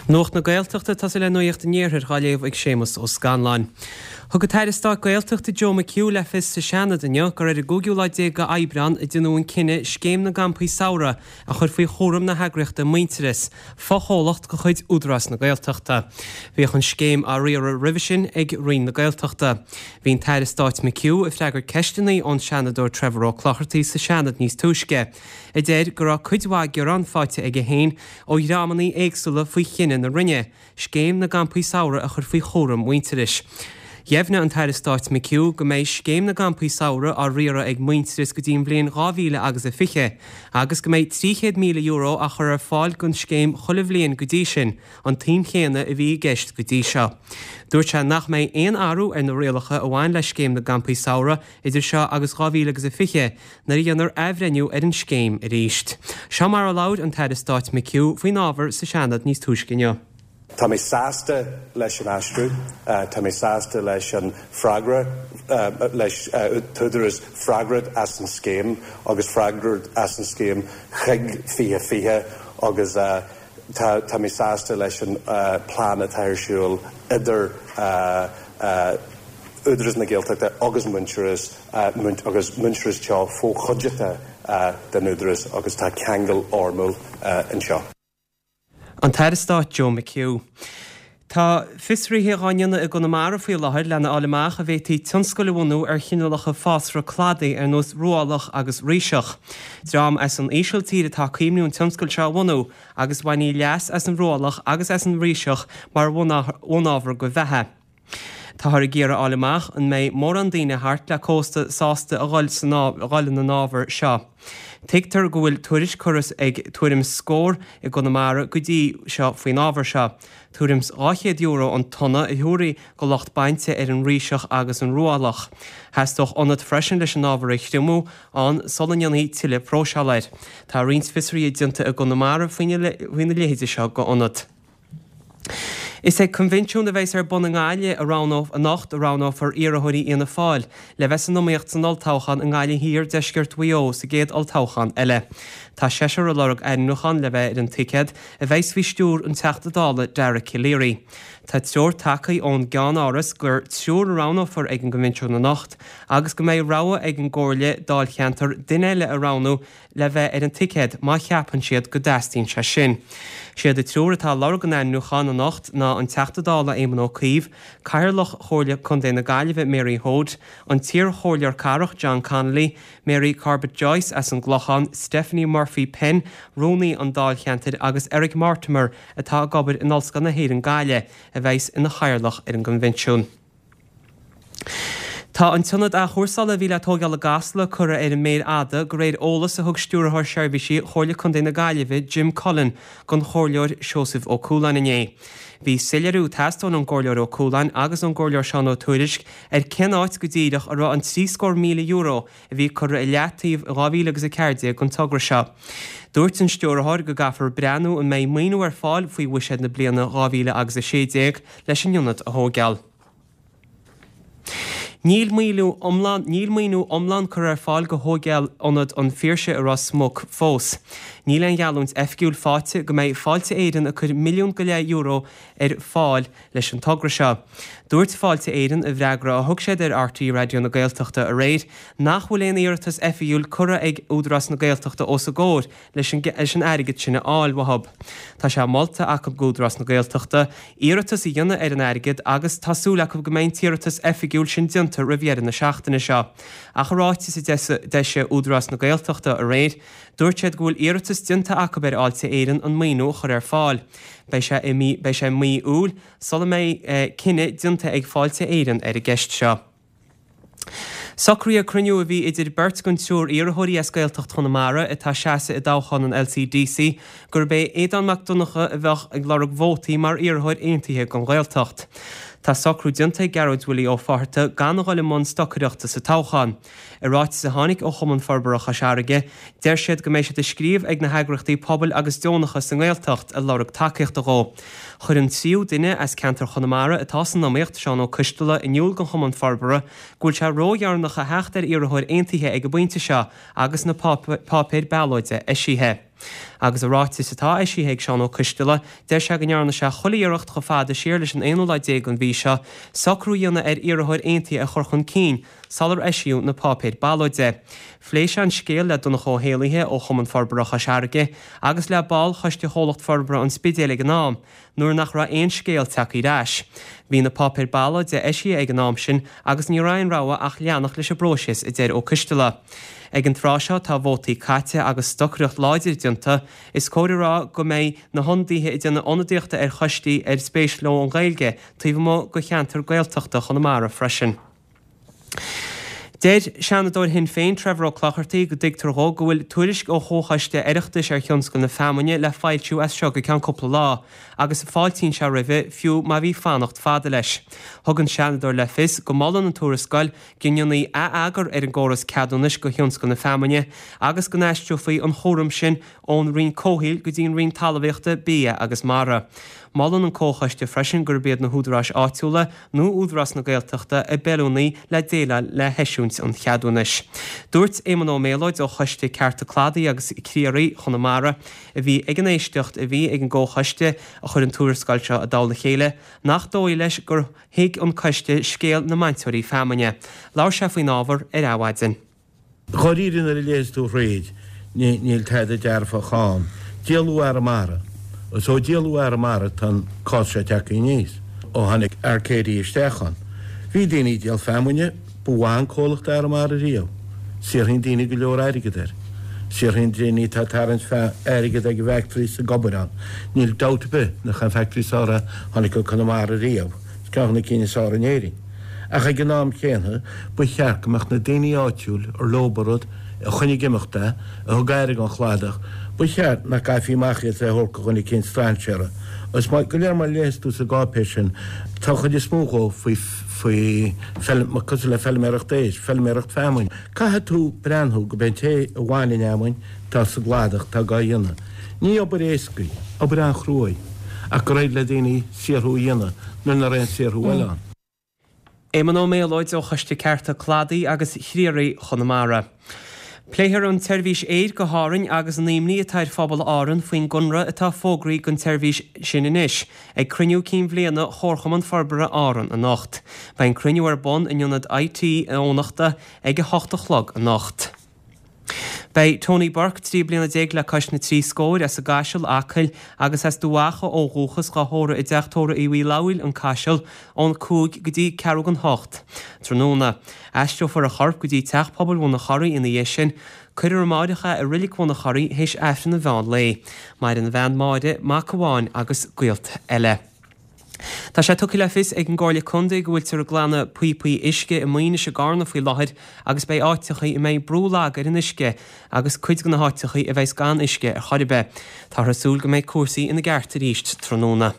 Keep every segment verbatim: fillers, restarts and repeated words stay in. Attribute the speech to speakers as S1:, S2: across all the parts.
S1: Nuacht na Gaeltachta ag tosú le Nuacht an Iarthair á léamh ag Séamus Ó Scanláin. Thug an tAire Stáit Gaeltachta Joe McHugh le fios sa Seanad inniu gur ar an gcúigiú lá déag d'Aibreán a déanadh an cinneadh Scéim na gCampaí Samhraidh a chur faoi chúram na heagraíochta Muintearas, fochomhlacht de chuid Údarás na Gaeltachta. Bhíodh an scéim á riaradh roimhe sin ag Roinn na Gaeltachta. Bhí an tAire Stáit McHugh ag freagairt ceisteanna ón Seanadóir Trevor Ó Clochartaigh sa Seanad níos túisce, a deir go raibh cuid mhaith gearán faighte aige féin ó dhreamanna éagsúla faoi chinneadh na Roinne, Scéim na gCampaí Samhraidh a chur faoi chúram Mhuintearais. Dheimhnigh an tAire Stáit McHugh go mbeidh Scéim na gCampaí Samhraidh á riaradh ag Muintearas go dtí an bhliain dhá mhíle agus a fiche agus go mbeidh trí chéad míle euro á chur ar fáil don scéim chuile bhliain go dtí sin, an tsuim chéanna a bhí i gceist go dtí seo. Dúirt sé nach mbeidh aon athrú ar na rialacha a bhain le Scéim na gCampaí Samhraidh idir seo agus dhá mhíle agus a fiche nuair a dhéanfar athbhreithniú ar an scéim arís. Seo mar a labhair an tAire Stáit McHugh faoin ábhar sa Seanad níos túisce inniu.
S2: Tá mé sásta leis an aistriú, tá mé sásta leis an freagra leis an t-údarás freagrach as an scéim agus freagrach as an scéim chuig fiche fiche agus tá tá mé sásta leis an plean atá ar siúl idir Údarás na Gaeltachta agus Muintearas agus Muintearas Teo fochuideachta den Údarás agus tá ceangal fhoirmiúil anseo.
S1: An tAire Stáit Joe McHugh. Tá fiosruithe á ndéanamh i gConamara faoi láthair lena fháil amach an bhféadfaí tionscal a bhunú ar chineálacha fásra cladaigh ar nós rúálach agus ríseach. Dream as an Ísiltír atá ag cuimhniú an tionscal seo a bhunú agus bhainfí leas as an rúálach agus as an ríseach mar bhunábhar do bheatha. Táthar ag iarraidh a fháil amach an mbeidh mórán daoine thart le cósta sásta a dhul san a dhul ina n-ábhar seo. Tuigtear go bhfuil tuairisc curtha ag tuairim scór i gConamara go dtí seo faoin ábhar seo. Tuairim dhá chéad euro an tonna a thabharfaí do lucht bainte ar an ríseach agus an rúálach. Theastódh ionad freisin leis an ábhar a thriomú ann sula ndéanfaí tuilleadh próiseála air. Tá roinnt fiosruithe déanta i gConamara faoina leithéide seo d'ionad. Is ag coinbhinsiún a bheas ar bun i nGaillimh a roghnóf anocht a roghnófar iarrthóirí Fhianna Fáil le bheith san iomaíocht san olltoghchán i nGaillimh Thiar, Deisceart Mhaigh Eo sa gcéad olltoghchán eile. Tá seisear ag lorg ainmniúchán le bheith ar an ticéad a bheas faoi stiúir an Teachta Dála Dara Calleary. Tá treoir tagtha ón gceannáras gur triúr a roghnófar ag an gcoinbhinsiún anocht agus go mbeidh rogha ag an gComhairle Dáilcheantair duine eile a roghnú le bheith ar an ticéad má cheapann siad go dteastaíonn sé sin. Siad an triúr atá ag lorg an ainmniúcháin anocht ná an Teachta Dála Éamon Ó Cuív, Cathaoirleach Chomhairle Contae na Gaillimhe Mary Hoade, an t-iarchomhairleoir cathrach John Connolly, Mary Corbett Joyce as an gClochán, Stephanie Murphy Penn, rúnaí an Dáilcheantair agus Eric Mortimer atá ag obair in Ollscoil na hÉireann Gaillimh, a bheas ina chathaoirleach ar an gcoinbhinsiún. Tá an t-ionad athchúrsála a bhí le tógáil i gCasla curtha ar an méar fhada de réir eolas a thug Stiúrthóir Seirbhísí Chomhairle Contae na Gaillimhe Jim Cullen don Chomhairleoir Seosamh Ó Cualáin inné. Bhí soiléiriú ag teastáil ón gComhairleoir Ó Cualáin agus ón gComhairleoir Seán Ó Tuairisg ar cén áit go díreach a raibh an trí scór míle euro a bhí curtha i leataobh in dhá mhíle agus a ceathair déag don togra seo. Dúirt an Stiúrthóir go gcaithfear breathnú an mbeidh maoiniú ar fáil faoi bhuiséad na bliana dhá mhíle agus a sé déag leis an ionad a thógáil. Níl maoiniú iomlán níl maoiniú iomlán curtha ar fáil do thógáil Ionad an Phiarsaigh i Ros Muc fós. Níl aon gheallúint oifigiúil faighte go mbeidh Fáilte Éireann ag cur milliún go leith euro ar fáil leis an togra seo. Dúirt Fáilte Éireann i bhfreagra a thug siad ar RTÉ Raidió na Gaeltachta aréir nach bhfuil aon iarratas oifigiúil curtha ag Údarás na Gaeltachta os a gcomhair leis an leis an airgead sin a fháil uathu. Tá sé molta acu d'Údarás na Gaeltachta iarratas a dhéanamh ar an airgead agus tá súil acu go mbeidh an t-iarratas oifigiúil sin déanta roimh dheireadh na seachtaine seo. Ach i ráiteas a d'eisigh Údarás na Gaeltachta aréir, dúirt siad go bhfuil iarratas déanta acu ar Fháilte Éireann an maoiniú a chur ar fáil. Beidh sé i mí beidh sé i mí Iúil sula mbeidh cinneadh déanta ag Fáilte Éireann ar an gceist seo. Socraíodh cruinniú a bhí idir beirt den triúr iarrthóirí as Gaeltacht Chonamara atá ag seasamh i dtoghchán an LCDC gurb é Aodán Mac Donncha a bheadh ag lorg vótaí mar iarrthóir aontaithe don Ghaeltacht. Tá socrú déanta ag Gearóid Willie Ó Fátharta gan a dhul i mbun stocaireachta sa toghchán. I ráiteas a tháinig ó Chumann Forbartha Chois Fharraige, deir siad go mbeidh siad ag scríobh ag na heagraíochtaí pobail agus deonacha sa nGaeltacht ag lorg tacaíochta dhó. Chuir an tríú duine as ceantar Chonamara atá san iomaíocht, Seán Ó Coisteala, in iúl don Chumann Forbartha go bhfuil sé ródheireanach a theacht ar iarrthóir aontaithe ag an bpointe seo agus na páipéir ballóide eisithe. Agus i ráiteas atá eisithe ag Seán Ó Coisteala, deir sé go ndearna sé chuile iarracht chomh fada siar leis an aonú lá déag den mhí seo socrú a dhéanamh ar iarrthóir aontaithe a chur chun cinn sular eisíodh na páipéir ballóide. Phléigh sé an scéal le Donncha Ó hÉallaithe ó Chumann Forbartha Chois Fharraige agus le ball Choiste Chomhlacht Forbartha an Spidéil ag an am, nuair nach raibh aon scéal tagtha ar ais. Bhí na páipéir ballóide eisithe ag an am sin agus ní raibh aon rogha ach leanacht leis an bpróiseas, a deir Ó Coisteala. Ag an tráth seo tá vótaí caite agus stocaireacht láidir déanta, is cóir a rá go mbeidh na hionadaithe ag déanamh ionadaíochta ar choistí ar spéis leo an Ghaeilge taobh amuigh de cheantar Gaeltachta Chonamara freisin. Deir Seanadóir Shinn Féin Trevor Ó Clochartaigh go dtuigtear dhó go bhfuil tuairisc ó Chomhchoiste Oireachtais ar thionscal na feamainne le foilsiú as seo go ceann cúpla lá agus fáiltíonn sé roimhe fiú má bhí fanacht fada leis. Thug an Seanadóir le fios go molann an tuarascáil go ndéanfaí atheagar ar an gcóras ceadúnais do thionscal na feamainne agus go n-aistreofaí an chúram sin ón Roinn Comhshaoil go dtí an Roinn Talmhaíochta, Bia agus Mara. Molann an Comhchoiste freisin gurb iad na húdaráis áitiúla nó Údarás na Gaeltachta ab fheiliúnaí le déileáil le heisiúint an cheadúnais. Dúirt Éamonn Ó Méalóid ó Choiste Cearta Cladaigh agus Criathraigh Chonamara, a bhí ag an éisteacht a bhí ag an gComhchoiste a chuir an tuarascáil seo i dtoll a chéile, nach dóigh leis gur thuig an coiste scéal na mbainteoirí feamainne. Labhair sé faoin ábhar ar Adhmhaidin.
S3: Dháiríre nuair a léas tú thríd, níl tada dearfach ann. Díoladh Arramara. Is ó díoladh Arramara tá an cás seo tagtha aníos. Ó tháinig Arcadia isteach ann. Bhí daoine ag díol feamainne, ba mhaith an comhlacht Arramara riamh. Saothraíonn daoine go leor airgead air. Saothraíonn daoine atá ag tarraingt airgead ag an bhfactory is ag obair ann. Níl dabht ar bith nach an factory is fearr a tháinig go Conamara riamh. Is ceann de na cinn is fearr in Éirinn. Ach ag an am chéanna, ba cheart go mbeadh na daoine áitiúil ar leob an rud, a choinnigh ag imeacht é, a thug aire don chladach, ba cheart nach gcaithfí amach iad é a thabhairt do dhuine eicínt strainséara. Is maith go léir má léas tú sa gcáipéis sin, tá an chuid is mó dhó faoi faoi cosúil le feilméaracht éisc, feilméaracht feamainn. Caithfidh tú breathnú go b'é an té a bhain an fheamainn atá sa gcladach atá dhá dhéanamh. Ní obair éasca í, obair an-chrua í, ach gur éirigh le daoine saothrú a dhéanamh nuair nach raibh aon saothrú eile ann.
S1: Éamonn Ó Méalóid ó Choiste Cearta Cladaigh agus Chriathraigh Chonamara. Pléifear an tseirbhís aeir go hÁrainn agus an imní atá ar phobal Árann faoin gconradh atá fógraithe don tseirbhís sin anois ag cruinniú cinn bhliana Chomharchumann Forbartha Árann anocht. Beidh an cruinniú ar bun in ionad IT Eoghanachta ag a hocht a chlog anocht. Beidh Tony Burke, trí bliana déag le cois na trí scóir, as an gCaiseal, Acaill, agus as Dubh Mhacha ó dhúchas, dhá thórramh i dteach tórraimh Uí Fhlamhaill, An Caiseal, ón cúig go dtí ceathrú don hocht tráthnóna. Aistreofar a chorp go dtí Teach Pobail Bhun an Chorraigh ina dhiaidh sin. Cuirfear amáireach é i Reilig Bhun an Chorraigh théis Aifreann an mheán lae. Maireann a bhean Máire, mac amháin agus gaolta eile. Tá sé tugtha le fios ag an gComhairle Contae go bhfuiltear ag glanadh píopaí uisce i Maínis i gCarna faoi láthair agus beidh áiteachaí a mbeidh brú lag ar an uisce agus cuid de na háiteachaí a bheas gan uisce ar chor ar bith. Táthar ag súil go mbeidh cúrsaí ina gceart arís tráthnóna.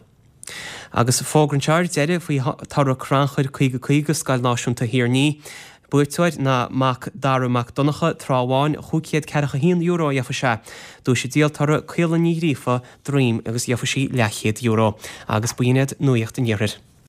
S1: Agus fógra anseo ar deireadh faoi toradh crannchuir caoga caoga Scoil Náisiúnta Thír an Fhia. Buaiteoir ná Mac Dara Mac Donncha, Trá Bháin, chúig chéad ceathracha haon euro a gheofaidh sé. Duais an díoltóra, Caolan Ní Ghríofa, Droim agus gheofaidh sí leathchéad euro. Agus b'in iad Nuacht an Iarthair.